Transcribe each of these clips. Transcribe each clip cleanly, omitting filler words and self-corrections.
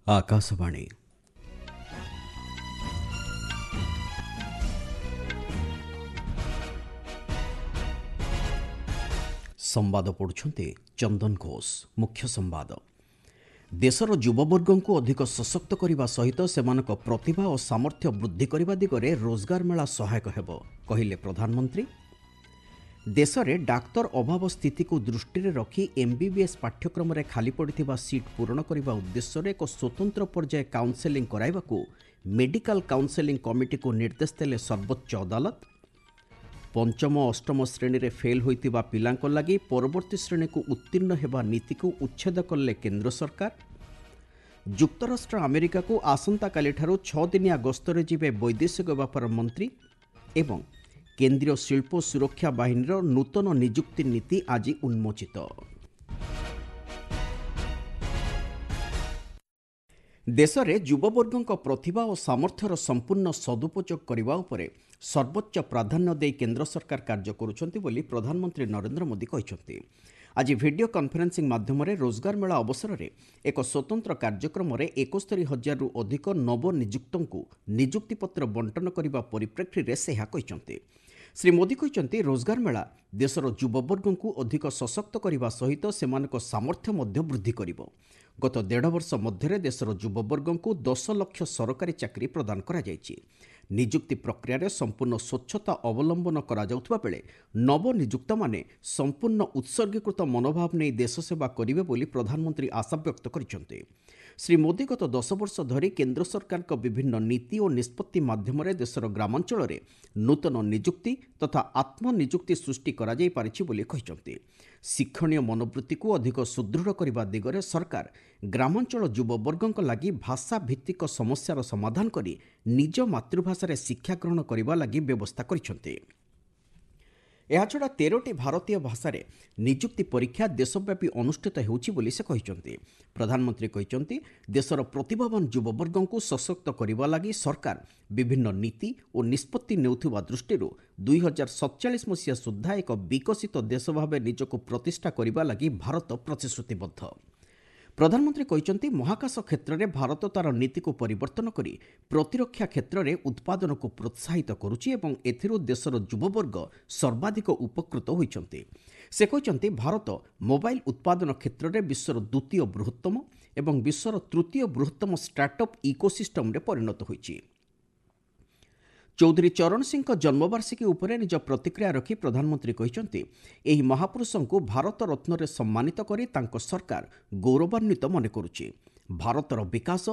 ଆକାଶବାଣୀ। ସମ୍ବାଦ ପଢ଼ୁଛନ୍ତି ଚନ୍ଦନ ଘୋଷ। ମୁଖ୍ୟ ସମ୍ବାଦ। ଦେଶର ଯୁବବର୍ଗଙ୍କୁ ଅଧିକ ସଶକ୍ତ କରିବା ସହିତ ସେମାନଙ୍କ ପ୍ରତିଭା ଓ ସାମର୍ଥ୍ୟ ବୃଦ୍ଧି କରିବା ଦିଗରେ ରୋଜଗାର ମେଳା ସହାୟକ ହେବ, କହିଲେ ପ୍ରଧାନମନ୍ତ୍ରୀ। ଦେଶରେ ଡାକ୍ତର ଅଭାବ ସ୍ଥିତିକୁ ଦୃଷ୍ଟିରେ ରଖି ଏମ୍ବିବିଏସ୍ ପାଠ୍ୟକ୍ରମରେ ଖାଲି ପଡ଼ିଥିବା ସିଟ୍ ପୂରଣ କରିବା ଉଦ୍ଦେଶ୍ୟରେ ଏକ ସ୍ୱତନ୍ତ୍ର ପର୍ଯ୍ୟାୟ କାଉନସେଲିଂ କରାଇବାକୁ ମେଡିକାଲ କାଉନସେଲିଂ କମିଟିକୁ ନିର୍ଦ୍ଦେଶ ଦେଲେ ସର୍ବୋଚ୍ଚ ଅଦାଲତ। ପଞ୍ଚମ ଅଷ୍ଟମ ଶ୍ରେଣୀରେ ଫେଲ୍ ହୋଇଥିବା ପିଲାଙ୍କ ଲାଗି ପରବର୍ତ୍ତୀ ଶ୍ରେଣୀକୁ ଉତ୍ତୀର୍ଣ୍ଣ ହେବା ନୀତିକୁ ଉଚ୍ଛେଦ କଲେ କେନ୍ଦ୍ର ସରକାର। ଯୁକ୍ତରାଷ୍ଟ୍ର ଆମେରିକାକୁ ଆସନ୍ତାକାଲିଠାରୁ 6 ଦିନିଆ ଗସ୍ତରେ ଯିବେ ବୈଦେଶିକ ବ୍ୟାପାର ମନ୍ତ୍ରୀ। ଏବଂ କେନ୍ଦ୍ରୀୟ ଶିଳ୍ପ ସୁରକ୍ଷା ବାହିନୀର ନୂତନ ନିଯୁକ୍ତି ନୀତି ଆଜି ଉନ୍ମୋଚିତ। ଦେଶରେ ଯୁବବର୍ଗଙ୍କ ପ୍ରତିଭା ଓ ସାମର୍ଥ୍ୟର ସମ୍ପୂର୍ଣ୍ଣ ସଦୁପଯୋଗ କରିବା ଉପରେ ସର୍ବୋଚ୍ଚ ପ୍ରାଧାନ୍ୟ ଦେଇ କେନ୍ଦ୍ର ସରକାର କାର୍ଯ୍ୟ କରୁଛନ୍ତି ବୋଲି ପ୍ରଧାନମନ୍ତ୍ରୀ ନରେନ୍ଦ୍ର ମୋଦି କହିଛନ୍ତି। ଆଜି ଭିଡିଓ କନଫରେନ୍ସିଂ ମାଧ୍ୟମରେ ରୋଜଗାର ମେଳା ଅବସରରେ ଏକ ସ୍ୱତନ୍ତ୍ର କାର୍ଯ୍ୟକ୍ରମରେ 71 ହଜାରରୁ ଅଧିକ ନବନିଯୁକ୍ତଙ୍କୁ ନିଯୁକ୍ତିପତ୍ର ବଣ୍ଟନ କରିବା ପରିପ୍ରେକ୍ଷୀରେ ସେ ଏହା କହିଛନ୍ତି। ଶ୍ରୀ ମୋଦି କହିଛନ୍ତି, ରୋଜଗାର ମେଳା ଦେଶର ଯୁବବର୍ଗଙ୍କୁ ଅଧିକ ସଶକ୍ତ କରିବା ସହିତ ସେମାନଙ୍କ ସାମର୍ଥ୍ୟ ମଧ୍ୟ ବୃଦ୍ଧି କରିବ। ଗତ ଦେଢ଼ ବର୍ଷ ମଧ୍ୟରେ ଦେଶର ଯୁବବର୍ଗଙ୍କୁ 10 ଲକ୍ଷ ସରକାରୀ ଚାକିରି ପ୍ରଦାନ କରାଯାଇଛି। ନିଯୁକ୍ତି ପ୍ରକ୍ରିୟାରେ ସମ୍ପୂର୍ଣ୍ଣ ସ୍ୱଚ୍ଛତା ଅବଲମ୍ବନ କରାଯାଉଥିବା ବେଳେ ନବନିଯୁକ୍ତମାନେ ସମ୍ପୂର୍ଣ୍ଣ ଉତ୍ସର୍ଗୀକୃତ ମନୋଭାବ ନେଇ ଦେଶସେବା କରିବେ ବୋଲି ପ୍ରଧାନମନ୍ତ୍ରୀ ଆଶାବ୍ୟକ୍ତ କରିଛନ୍ତି। ଶ୍ରୀ ମୋଦି ଗତ 10 ବର୍ଷ ଧରି କେନ୍ଦ୍ର ସରକାରଙ୍କ ବିଭିନ୍ନ ନୀତି ଓ ନିଷ୍ପତ୍ତି ମାଧ୍ୟମରେ ଦେଶର ଗ୍ରାମାଞ୍ଚଳରେ ନୂତନ ନିଯୁକ୍ତି ତଥା ଆତ୍ମନିଯୁକ୍ତି ସୃଷ୍ଟି କରାଯାଇପାରିଛି ବୋଲି କହିଛନ୍ତି। ଶିକ୍ଷଣୀୟ ମନୋବୃତ୍ତିକୁ ଅଧିକ ସୁଦୃଢ଼ କରିବା ଦିଗରେ ସରକାର ଗ୍ରାମାଞ୍ଚଳ ଯୁବବର୍ଗଙ୍କ ଲାଗି ଭାଷା ଭିତ୍ତିକ ସମସ୍ୟାର ସମାଧାନ କରି ନିଜ ମାତୃଭାଷାରେ ଶିକ୍ଷା ଗ୍ରହଣ କରିବା ଲାଗି ବ୍ୟବସ୍ଥା କରିଛନ୍ତି। ଏହାଛଡ଼ା 13ଟି ଭାରତୀୟ ଭାଷାରେ ନିଯୁକ୍ତି ପରୀକ୍ଷା ଦେଶବ୍ୟାପୀ ଅନୁଷ୍ଠିତ ହେଉଛି ବୋଲି ସେ କହିଛନ୍ତି। ପ୍ରଧାନମନ୍ତ୍ରୀ କହିଛନ୍ତି, ଦେଶର ପ୍ରତିଭାବାନ ଯୁବବର୍ଗଙ୍କୁ ସଶକ୍ତ କରିବା ଲାଗି ସରକାର ବିଭିନ୍ନ ନୀତି ଓ ନିଷ୍ପତ୍ତି ନେଉଥିବା ଦୃଷ୍ଟିରୁ 2047 ମସିହା ସୁଦ୍ଧା ଏକ ବିକଶିତ ଦେଶ ଭାବେ ନିଜକୁ ପ୍ରତିଷ୍ଠା କରିବା ଲାଗି ଭାରତ ପ୍ରତିଶ୍ରୁତିବଦ୍ଧ। ପ୍ରଧାନମନ୍ତ୍ରୀ କହିଛନ୍ତି, ମହାକାଶ କ୍ଷେତ୍ରରେ ଭାରତ ତା'ର ନୀତିକୁ ପରିବର୍ତ୍ତନ କରି ପ୍ରତିରକ୍ଷା କ୍ଷେତ୍ରରେ ଉତ୍ପାଦନକୁ ପ୍ରୋତ୍ସାହିତ କରୁଛି ଏବଂ ଏଥିରୁ ଦେଶର ଯୁବବର୍ଗ ସର୍ବାଧିକ ଉପକୃତ ହୋଇଛନ୍ତି। ସେ କହିଛନ୍ତି, ଭାରତ ମୋବାଇଲ ଉତ୍ପାଦନ କ୍ଷେତ୍ରରେ ବିଶ୍ୱର ଦ୍ୱିତୀୟ ବୃହତ୍ତମ ଏବଂ ବିଶ୍ୱର ତୃତୀୟ ବୃହତ୍ତମ ଷ୍ଟାର୍ଟଅପ୍ ଇକୋସିଷ୍ଟମରେ ପରିଣତ ହୋଇଛି। ଚୌଧୁରୀ ଚରଣ ସିଂଙ୍କ ଜନ୍ମବାର୍ଷିକୀ ଉପରେ ନିଜ ପ୍ରତିକ୍ରିୟା ରଖି ପ୍ରଧାନମନ୍ତ୍ରୀ କହିଛନ୍ତି, ଏହି ମହାପୁରୁଷଙ୍କୁ ଭାରତ ରତ୍ନରେ ସମ୍ମାନିତ କରି ତାଙ୍କ ସରକାର ଗୌରବାନ୍ୱିତ ମନେ କରୁଛି। ଭାରତର ବିକାଶ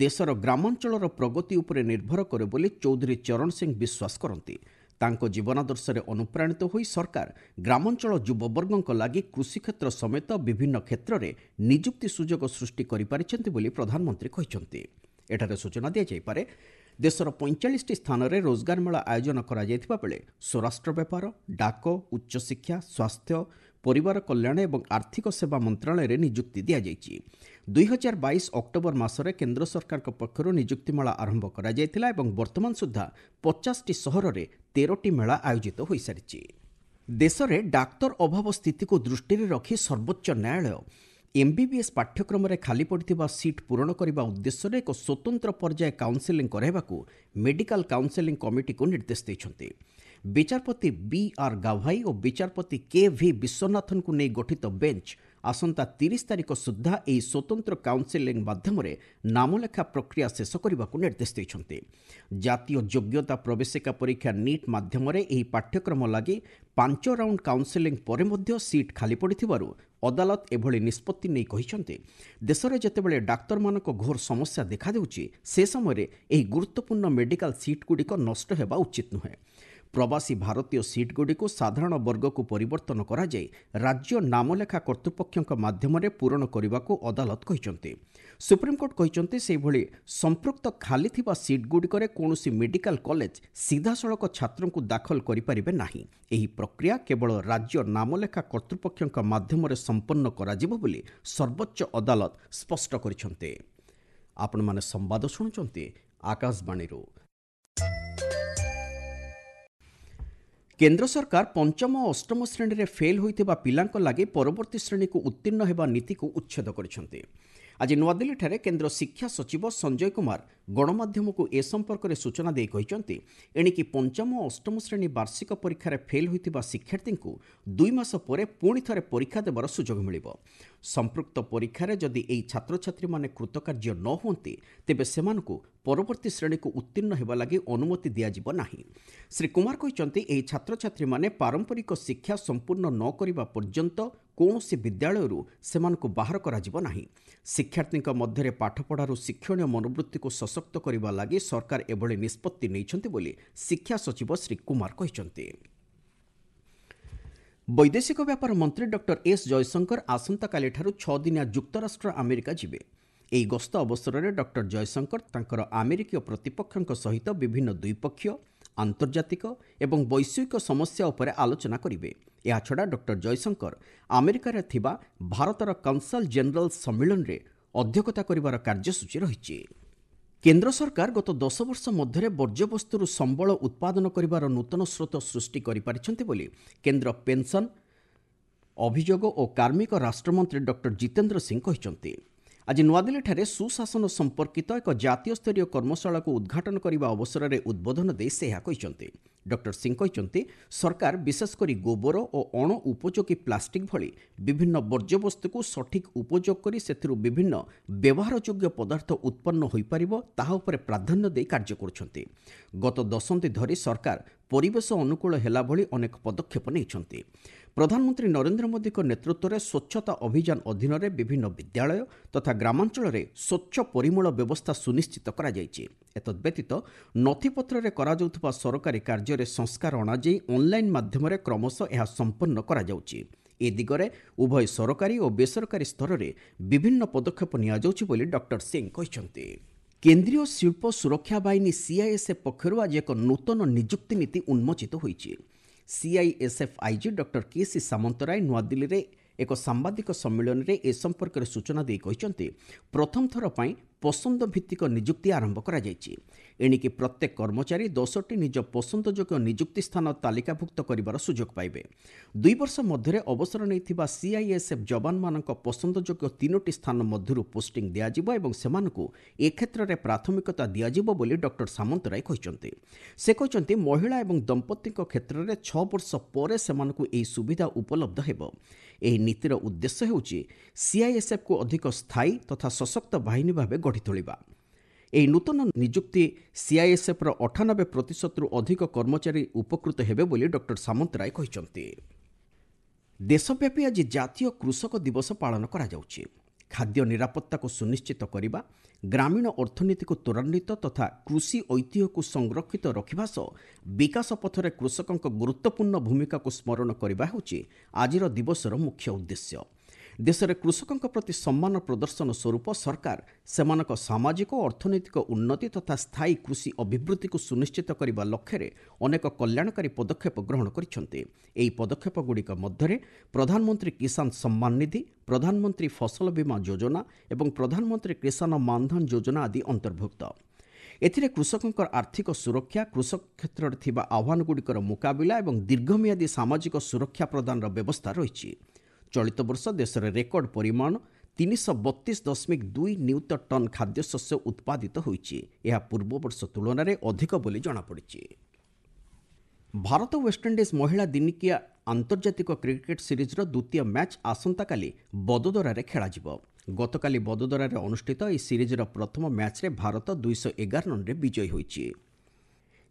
ଦେଶର ଗ୍ରାମାଞ୍ଚଳର ପ୍ରଗତି ଉପରେ ନିର୍ଭର କରେ ବୋଲି ଚୌଧୁରୀ ଚରଣ ସିଂ ବିଶ୍ୱାସ କରନ୍ତି। ତାଙ୍କ ଜୀବନାଦର୍ଶରେ ଅନୁପ୍ରାଣିତ ହୋଇ ସରକାର ଗ୍ରାମାଞ୍ଚଳ ଯୁବବର୍ଗଙ୍କ ଲାଗି କୃଷିକ୍ଷେତ୍ର ସମେତ ବିଭିନ୍ନ କ୍ଷେତ୍ରରେ ନିଯୁକ୍ତି ସୁଯୋଗ ସୃଷ୍ଟି କରିପାରିଛନ୍ତି ବୋଲି ପ୍ରଧାନମନ୍ତ୍ରୀ କହିଛନ୍ତି। ଏଠାରେ ସୂଚନା ଦିଆଯାଇପାରେ, ଦେଶର 45ଟି ସ୍ଥାନରେ ରୋଜଗାର ମେଳା ଆୟୋଜନ କରାଯାଇଥିବା ବେଳେ ସ୍ୱରାଷ୍ଟ୍ର ବ୍ୟାପାର, ଡାକ, ଉଚ୍ଚଶିକ୍ଷା, ସ୍ୱାସ୍ଥ୍ୟ, ପରିବାର କଲ୍ୟାଣ ଏବଂ ଆର୍ଥିକ ସେବା ମନ୍ତ୍ରଣାଳୟରେ ନିଯୁକ୍ତି ଦିଆଯାଇଛି। 2022 ଅକ୍ଟୋବର ମାସରେ କେନ୍ଦ୍ର ସରକାରଙ୍କ ପକ୍ଷରୁ ନିଯୁକ୍ତି ମେଳା ଆରମ୍ଭ କରାଯାଇଥିଲା ଏବଂ ବର୍ତ୍ତମାନ ସୁଦ୍ଧା 50ଟି ସହରରେ 13ଟି ମେଳା ଆୟୋଜିତ ହୋଇସାରିଛି। ଦେଶରେ ଡାକ୍ତର ଅଭାବ ସ୍ଥିତିକୁ ଦୃଷ୍ଟିରେ ରଖି ସର୍ବୋଚ୍ଚ ନ୍ୟାୟାଳୟ ଏମ୍ବିବିଏସ୍ ପାଠ୍ୟକ୍ରମରେ ଖାଲି ପଡ଼ିଥିବା ସିଟ୍ ପୂରଣ କରିବା ଉଦ୍ଦେଶ୍ୟରେ ଏକ ସ୍ୱତନ୍ତ୍ର ପର୍ଯ୍ୟାୟ କାଉନସେଲିଂ କରାଇବାକୁ ମେଡିକାଲ କାଉନସେଲିଂ କମିଟିକୁ ନିର୍ଦ୍ଦେଶ ଦେଇଛନ୍ତି। ବିଚାରପତି ବି ଆର୍ ଗାଭାଇ ଓ ବିଚାରପତି କେ ଭି ବିଶ୍ୱନାଥନଙ୍କୁ ନେଇ ଗଠିତ ବେଞ୍ଚ ଆସନ୍ତା 30 ତାରିଖ ସୁଦ୍ଧା ଏହି ସ୍ୱତନ୍ତ୍ର କାଉନସେଲିଂ ମାଧ୍ୟମରେ ନାମଲେଖା ପ୍ରକ୍ରିୟା ଶେଷ କରିବାକୁ ନିର୍ଦ୍ଦେଶ ଦେଇଛନ୍ତି। ଜାତୀୟ ଯୋଗ୍ୟତା ପ୍ରବେଶିକା ପରୀକ୍ଷା ନିଟ୍ ମାଧ୍ୟମରେ ଏହି ପାଠ୍ୟକ୍ରମ ଲାଗି 5 ରାଉଣ୍ଡ କାଉନସେଲିଂ ପରେ ମଧ୍ୟ ସିଟ୍ ଖାଲି ପଡ଼ିଥିବାରୁ ଅଦାଲତ ଏଭଳି ନିଷ୍ପତ୍ତି ନେଇ କହିଛନ୍ତି, ଦେଶରେ ଯେତେବେଳେ ଡାକ୍ତରମାନଙ୍କ ଘୋର ସମସ୍ୟା ଦେଖାଦେଉଛି ସେ ସମୟରେ ଏହି ଗୁରୁତ୍ୱପୂର୍ଣ୍ଣ ମେଡିକାଲ ସିଟ୍ଗୁଡ଼ିକ ନଷ୍ଟ ହେବା ଉଚିତ ନୁହେଁ। ପ୍ରବାସୀ ଭାରତୀୟ ସିଟ୍ଗୁଡ଼ିକୁ ସାଧାରଣ ବର୍ଗକୁ ପରିବର୍ତ୍ତନ କରାଯାଇ ରାଜ୍ୟ ନାମଲେଖା କର୍ତ୍ତୃପକ୍ଷଙ୍କ ମାଧ୍ୟମରେ ପୂରଣ କରିବାକୁ ଅଦାଲତ କହିଛନ୍ତି। ସୁପ୍ରିମକୋର୍ଟ କହିଛନ୍ତି, ସେହିଭଳି ସମ୍ପୃକ୍ତ ଖାଲି ଥିବା ସିଟ୍ଗୁଡ଼ିକରେ କୌଣସି ମେଡିକାଲ କଲେଜ ସିଧାସଳଖ ଛାତ୍ରଙ୍କୁ ଦାଖଲ କରିପାରିବେ ନାହିଁ। ଏହି ପ୍ରକ୍ରିୟା କେବଳ ରାଜ୍ୟ ନାମଲେଖା କର୍ତ୍ତୃପକ୍ଷଙ୍କ ମାଧ୍ୟମରେ ସମ୍ପନ୍ନ କରାଯିବ ବୋଲି ସର୍ବୋଚ୍ଚ ଅଦାଲତ ସ୍ପଷ୍ଟ କରିଛନ୍ତି। ଆପଣମାନେ ସମ୍ବାଦ ଶୁଣୁଛନ୍ତି ଆକାଶବାଣୀରୁ। କେନ୍ଦ୍ର ସରକାର ପଞ୍ଚମ ଓ ଅଷ୍ଟମ ଶ୍ରେଣୀରେ ଫେଲ୍ ହୋଇଥିବା ପିଲାଙ୍କ ଲାଗି ପରବର୍ତ୍ତୀ ଶ୍ରେଣୀକୁ ଉତ୍ତୀର୍ଣ୍ଣ ହେବା ନୀତିକୁ ଉଚ୍ଛେଦ କରିଛନ୍ତି। ଆଜି ନୂଆଦିଲ୍ଲୀଠାରେ କେନ୍ଦ୍ର ଶିକ୍ଷା ସଚିବ ସଞ୍ଜୟ କୁମାର ଗଣମାଧ୍ୟମକୁ ଏ ସମ୍ପର୍କରେ ସୂଚନା ଦେଇ କହିଛନ୍ତି, ଏଣିକି ପଞ୍ଚମ ଓ ଅଷ୍ଟମ ଶ୍ରେଣୀ ବାର୍ଷିକ ପରୀକ୍ଷାରେ ଫେଲ୍ ହୋଇଥିବା ଶିକ୍ଷାର୍ଥୀଙ୍କୁ 2 ମାସ ପରେ ପୁଣି ଥରେ ପରୀକ୍ଷା ଦେବାର ସୁଯୋଗ ମିଳିବ। ସମ୍ପୃକ୍ତ ପରୀକ୍ଷାରେ ଯଦି ଏହି ଛାତ୍ରଛାତ୍ରୀମାନେ କୃତକାର୍ଯ୍ୟ ନ ହୁଅନ୍ତି, ତେବେ ସେମାନଙ୍କୁ ପରବର୍ତ୍ତୀ ଶ୍ରେଣୀକୁ ଉତ୍ତୀର୍ଣ୍ଣ ହେବା ଲାଗି ଅନୁମତି ଦିଆଯିବ ନାହିଁ। ଶ୍ରୀ କୁମାର କହିଛନ୍ତି, ଏହି ଛାତ୍ରଛାତ୍ରୀମାନେ ପାରମ୍ପରିକ ଶିକ୍ଷା ସମ୍ପୂର୍ଣ୍ଣ ନ କରିବା ପର୍ଯ୍ୟନ୍ତ କୌଣସି ବିଦ୍ୟାଳୟରୁ ସେମାନଙ୍କୁ ବାହାର କରାଯିବ ନାହିଁ। ଶିକ୍ଷାର୍ଥୀଙ୍କ ମଧ୍ୟରେ ପାଠପଢ଼ାରୁ ଶିକ୍ଷଣୀୟ ମନୋବୃତ୍ତିକୁ ସଶକ୍ତ କରିବା ଲାଗି ସରକାର ଏଭଳି ନିଷ୍ପତ୍ତି ନେଇଛନ୍ତି ବୋଲି ଶିକ୍ଷା ସଚିବ ଶ୍ରୀ କୁମାର କହିଛନ୍ତି। ବୈଦେଶିକ ବ୍ୟାପାର ମନ୍ତ୍ରୀ ଡକ୍ଟର ଏସ୍ ଜୟଶଙ୍କର ଆସନ୍ତାକାଲିଠାରୁ 6 ଦିନିଆ ଯୁକ୍ତରାଷ୍ଟ୍ର ଆମେରିକା ଯିବେ। ଏହି ଗସ୍ତ ଅବସରରେ ଡକ୍ଟର ଜୟଶଙ୍କର ତାଙ୍କର ଆମେରିକୀୟ ପ୍ରତିପକ୍ଷଙ୍କ ସହିତ ବିଭିନ୍ନ ଦ୍ୱିପକ୍ଷୀୟ, ଆନ୍ତର୍ଜାତିକ ଏବଂ ବୈଶ୍ୱିକ ସମସ୍ୟା ଉପରେ ଆଲୋଚନା କରିବେ। ଏହାଛଡ଼ା ଡକ୍ଟର ଜୟଶଙ୍କର ଆମେରିକାରେ ଥିବା ଭାରତର କନସଲ୍ ଜେନେରାଲ ସମ୍ମିଳନୀରେ ଅଧ୍ୟକ୍ଷତା କରିବାର କାର୍ଯ୍ୟସୂଚୀ ରହିଛି। କେନ୍ଦ୍ର ସରକାର ଗତ 10 ବର୍ଷ ମଧ୍ୟରେ ବର୍ଜ୍ୟବସ୍ତୁରୁ ସମ୍ବଳ ଉତ୍ପାଦନ କରିବାର ନୂତନ ସ୍ରୋତ ସୃଷ୍ଟି କରିପାରିଛନ୍ତି ବୋଲି କେନ୍ଦ୍ର ପେନ୍ସନ୍, ଅଭିଯୋଗ ଓ କାର୍ମିକ ରାଷ୍ଟ୍ରମନ୍ତ୍ରୀ ଡକ୍ଟର ଜିତେନ୍ଦ୍ର ସିଂ କହିଛନ୍ତି। ଆଜି ନୂଆଦିଲ୍ଲୀଠାରେ ସୁଶାସନ ସମ୍ପର୍କିତ ଏକ ଜାତୀୟ ସ୍ତରୀୟ କର୍ମଶାଳାକୁ ଉଦ୍ଘାଟନ କରିବା ଅବସରରେ ଉଦ୍ବୋଧନ ଦେଇ ସେ ଏହା କହିଛନ୍ତି। ଡକ୍ଟର ସିଂ କହିଛନ୍ତି, ସରକାର ବିଶେଷ କରି ଗୋବର ଓ ଅଣ ଉପଯୋଗୀ ପ୍ଲାଷ୍ଟିକ୍ ଭଳି ବିଭିନ୍ନ ବର୍ଜ୍ୟବସ୍ତୁକୁ ସଠିକ୍ ଉପଯୋଗ କରି ସେଥିରୁ ବିଭିନ୍ନ ବ୍ୟବହାରଯୋଗ୍ୟ ପଦାର୍ଥ ଉତ୍ପନ୍ନ ହୋଇପାରିବ ତାହା ଉପରେ ପ୍ରାଧାନ୍ୟ ଦେଇ କାର୍ଯ୍ୟ କରୁଛନ୍ତି। ଗତ ଦଶନ୍ଧି ଧରି ସରକାର ପରିବେଶ ଅନୁକୂଳ ହେଲା ଭଳି ଅନେକ ପଦକ୍ଷେପ ନେଇଛନ୍ତି। ପ୍ରଧାନମନ୍ତ୍ରୀ ନରେନ୍ଦ୍ର ମୋଦିଙ୍କ ନେତୃତ୍ୱରେ ସ୍ୱଚ୍ଛତା ଅଭିଯାନ ଅଧୀନରେ ବିଭିନ୍ନ ବିଦ୍ୟାଳୟ ତଥା ଗ୍ରାମାଞ୍ଚଳରେ ସ୍ୱଚ୍ଛ ପରିମଳ ବ୍ୟବସ୍ଥା ସୁନିଶ୍ଚିତ କରାଯାଇଛି। ଏତଦ୍ବ୍ୟତୀତ ନଥିପତ୍ରରେ କରାଯାଉଥିବା ସରକାରୀ କାର୍ଯ୍ୟରେ ସଂସ୍କାର ଅଣାଯାଇ ଅନ୍ଲାଇନ୍ ମାଧ୍ୟମରେ କ୍ରମଶଃ ଏହା ସମ୍ପନ୍ନ କରାଯାଉଛି। ଏ ଦିଗରେ ଉଭୟ ସରକାରୀ ଓ ବେସରକାରୀ ସ୍ତରରେ ବିଭିନ୍ନ ପଦକ୍ଷେପ ନିଆଯାଉଛି ବୋଲି ଡକ୍ଟର ସିଂ କହିଛନ୍ତି। କେନ୍ଦ୍ରୀୟ ଶିଳ୍ପ ସୁରକ୍ଷା ବାହିନୀ ସିଆଇଏସ୍ଏଫ୍ ପକ୍ଷରୁ ଆଜି ଏକ ନୂତନ ନିଯୁକ୍ତି ନୀତି ଉନ୍ମୋଚିତ ହୋଇଛି। CISF IG doctor K C Samantaray ନୂଆଦିଲ୍ଲୀରେ ଏକ ସାମ୍ବାଦିକ ସମ୍ମିଳନୀରେ ଏ ସମ୍ପର୍କରେ ସୂଚନା ଦେଇ କହିଛନ୍ତି, ପ୍ରଥମ ଥର ପାଇଁ ପସନ୍ଦ ଭିତ୍ତିକ ନିଯୁକ୍ତି ଆରମ୍ଭ କରାଯାଇଛି। ଏଣିକି ପ୍ରତ୍ୟେକ କର୍ମଚାରୀ 10ଟି ନିଜ ପସନ୍ଦଯୋଗ୍ୟ ନିଯୁକ୍ତି ସ୍ଥାନ ତାଲିକାଭୁକ୍ତ କରିବାର ସୁଯୋଗ ପାଇବେ। 2 ବର୍ଷ ମଧ୍ୟରେ ଅବସର ନେଇଥିବା ସିଆଇଏସ୍ଏଫ୍ ଯବାନମାନଙ୍କ ପସନ୍ଦଯୋଗ୍ୟ 3ଟି ସ୍ଥାନ ମଧ୍ୟରୁ ପୋଷ୍ଟିଂ ଦିଆଯିବ ଏବଂ ସେମାନଙ୍କୁ ଏ କ୍ଷେତ୍ରରେ ପ୍ରାଥମିକତା ଦିଆଯିବ ବୋଲି ଡକ୍ଟର ସାମନ୍ତରାୟ କହିଛନ୍ତି। ସେ କହିଛନ୍ତି, ମହିଳା ଏବଂ ଦମ୍ପତିଙ୍କ କ୍ଷେତ୍ରରେ 6 ବର୍ଷ ପରେ ସେମାନଙ୍କୁ ଏହି ସୁବିଧା ଉପଲବ୍ଧ ହେବ। ଏହି ନୀତିର ଉଦ୍ଦେଶ୍ୟ ହେଉଛି ସିଆଇଏସ୍ଏଫ୍କୁ ଅଧିକ ସ୍ଥାୟୀ ତଥା ସଶକ୍ତ ବାହିନୀ ଭାବେ ଗଢ଼ି ତୋଳିବା। ଏହି ନୂତନ ନିଯୁକ୍ତି ସିଆଇଏସ୍ଏଫ୍ର 98%ରୁ ଅଧିକ କର୍ମଚାରୀ ଉପକୃତ ହେବେ ବୋଲି ଡକ୍ଟର ସାମନ୍ତରାୟ କହିଛନ୍ତି। ଦେଶବ୍ୟାପୀ ଆଜି ଜାତୀୟ କୃଷକ ଦିବସ ପାଳନ କରାଯାଉଛି। ଖାଦ୍ୟ ନିରାପତ୍ତାକୁ ସୁନିଶ୍ଚିତ କରିବା, ଗ୍ରାମୀଣ ଅର୍ଥନୀତିକୁ ତ୍ୱରାନ୍ୱିତ ତଥା କୃଷି ଐତିହ୍ୟକୁ ସଂରକ୍ଷିତ ରଖିବା ସହ ବିକାଶ ପଥରେ କୃଷକଙ୍କ ଗୁରୁତ୍ୱପୂର୍ଣ୍ଣ ଭୂମିକାକୁ ସ୍ମରଣ କରିବା ହେଉଛି ଆଜିର ଦିବସର ମୁଖ୍ୟ ଉଦ୍ଦେଶ୍ୟ। ଦେଶରେ କୃଷକଙ୍କ ପ୍ରତି ସମ୍ମାନ ପ୍ରଦର୍ଶନ ସ୍ୱରୂପ ସରକାର ସେମାନଙ୍କ ସାମାଜିକ ଓ ଅର୍ଥନୈତିକ ଉନ୍ନତି ତଥା ସ୍ଥାୟୀ କୃଷି ଅଭିବୃଦ୍ଧିକୁ ସୁନିଶ୍ଚିତ କରିବା ଲକ୍ଷ୍ୟରେ ଅନେକ କଲ୍ୟାଣକାରୀ ପଦକ୍ଷେପ ଗ୍ରହଣ କରିଛନ୍ତି। ଏହି ପଦକ୍ଷେପଗୁଡ଼ିକ ମଧ୍ୟରେ ପ୍ରଧାନମନ୍ତ୍ରୀ କିଷାନ ସମ୍ମାନ ନିଧି, ପ୍ରଧାନମନ୍ତ୍ରୀ ଫସଲ ବୀମା ଯୋଜନା ଏବଂ ପ୍ରଧାନମନ୍ତ୍ରୀ କିଷାନ ମାନଧନ ଯୋଜନା ଆଦି ଅନ୍ତର୍ଭୁକ୍ତ। ଏଥିରେ କୃଷକଙ୍କର ଆର୍ଥିକ ସୁରକ୍ଷା, କୃଷକ କ୍ଷେତ୍ରରେ ଥିବା ଆହ୍ୱାନଗୁଡ଼ିକର ମୁକାବିଲା ଏବଂ ଦୀର୍ଘମିଆଦୀ ସାମାଜିକ ସୁରକ୍ଷା ପ୍ରଦାନର ବ୍ୟବସ୍ଥା ରହିଛି। ଚଳିତ ବର୍ଷ ଦେଶରେ ରେକର୍ଡ ପରିମାଣ 332.2 ନିୟୁତ ଟନ୍ ଖାଦ୍ୟଶସ୍ୟ ଉତ୍ପାଦିତ ହୋଇଛି। ଏହା ପୂର୍ବବର୍ଷ ତୁଳନାରେ ଅଧିକ ବୋଲି ଜଣାପଡ଼ିଛି। ଭାରତ ୱେଷ୍ଟଇଣ୍ଡିଜ୍ ମହିଳା ଦିନିକିଆ ଆନ୍ତର୍ଜାତିକ କ୍ରିକେଟ୍ ସିରିଜ୍ର ଦ୍ୱିତୀୟ ମ୍ୟାଚ୍ ଆସନ୍ତାକାଲି ବଦୋଦରାରେ ଖେଳାଯିବ। ଗତକାଲି ବଦୋଦରାରେ ଅନୁଷ୍ଠିତ ଏହି ସିରିଜ୍ର ପ୍ରଥମ ମ୍ୟାଚ୍ରେ ଭାରତ 211 ରନ୍ରେ ବିଜୟୀ ହୋଇଛି।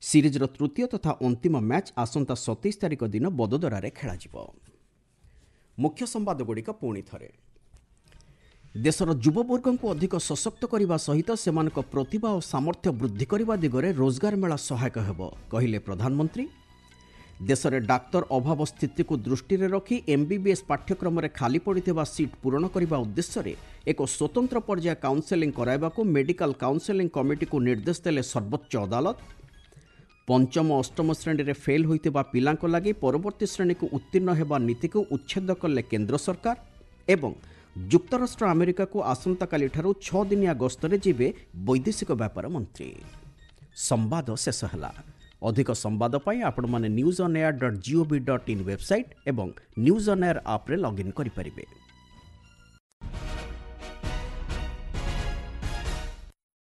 ସିରିଜ୍ର ତୃତୀୟ ତଥା ଅନ୍ତିମ ମ୍ୟାଚ୍ ଆସନ୍ତା 27 ତାରିଖ ଦିନ ବଦୋଦରାରେ ଖେଳାଯିବ। ମୁଖ୍ୟ ସମ୍ବାଦଗୁଡ଼ିକ ପୁଣି ଥରେ। ଦେଶର ଯୁବବର୍ଗଙ୍କୁ ଅଧିକ ସଶକ୍ତ କରିବା ସହିତ ସେମାନଙ୍କ ପ୍ରତିଭା ଓ ସାମର୍ଥ୍ୟ ବୃଦ୍ଧି କରିବା ଦିଗରେ ରୋଜଗାର ମେଳା ସହାୟକ ହେବ, କହିଲେ ପ୍ରଧାନମନ୍ତ୍ରୀ। ଦେଶରେ ଡାକ୍ତର ଅଭାବ ସ୍ଥିତିକୁ ଦୃଷ୍ଟିରେ ରଖି ଏମ୍ବିବିଏସ୍ ପାଠ୍ୟକ୍ରମରେ ଖାଲି ପଡ଼ିଥିବା ସିଟ୍ ପୂରଣ କରିବା ଉଦ୍ଦେଶ୍ୟରେ ଏକ ସ୍ୱତନ୍ତ୍ର ପର୍ଯ୍ୟାୟ କାଉନସେଲିଂ କରାଇବାକୁ ମେଡିକାଲ କାଉନସେଲିଂ କମିଟିକୁ ନିର୍ଦ୍ଦେଶ ଦେଲେ ସର୍ବୋଚ୍ଚ ଅଦାଲତ। ପଞ୍ଚମ ଅଷ୍ଟମ ଶ୍ରେଣୀରେ ଫେଲ୍ ହୋଇଥିବା ପିଲାଙ୍କ ଲାଗି ପରବର୍ତ୍ତୀ ଶ୍ରେଣୀକୁ ଉତ୍ତୀର୍ଣ୍ଣ ହେବା ନୀତିକୁ ଉଚ୍ଛେଦ କଲେ କେନ୍ଦ୍ର ସରକାର। ଏବଂ ଯୁକ୍ତରାଷ୍ଟ୍ର ଆମେରିକାକୁ ଆସନ୍ତାକାଲିଠାରୁ 6 ଦିନିଆ ଗସ୍ତରେ ଯିବେ ବୈଦେଶିକ ବ୍ୟାପାର ମନ୍ତ୍ରୀ। ସମ୍ବାଦ ଶେଷ ହେଲା। ଅଧିକ ସମ୍ବାଦ ପାଇଁ ଆପଣମାନେ newsonair.gov.in website ଏବଂ ନ୍ୟୁଜ୍ ଅନ୍ ଏୟାର ଆପ୍ରେ ଲଗ୍ଇନ୍ କରିପାରିବେ।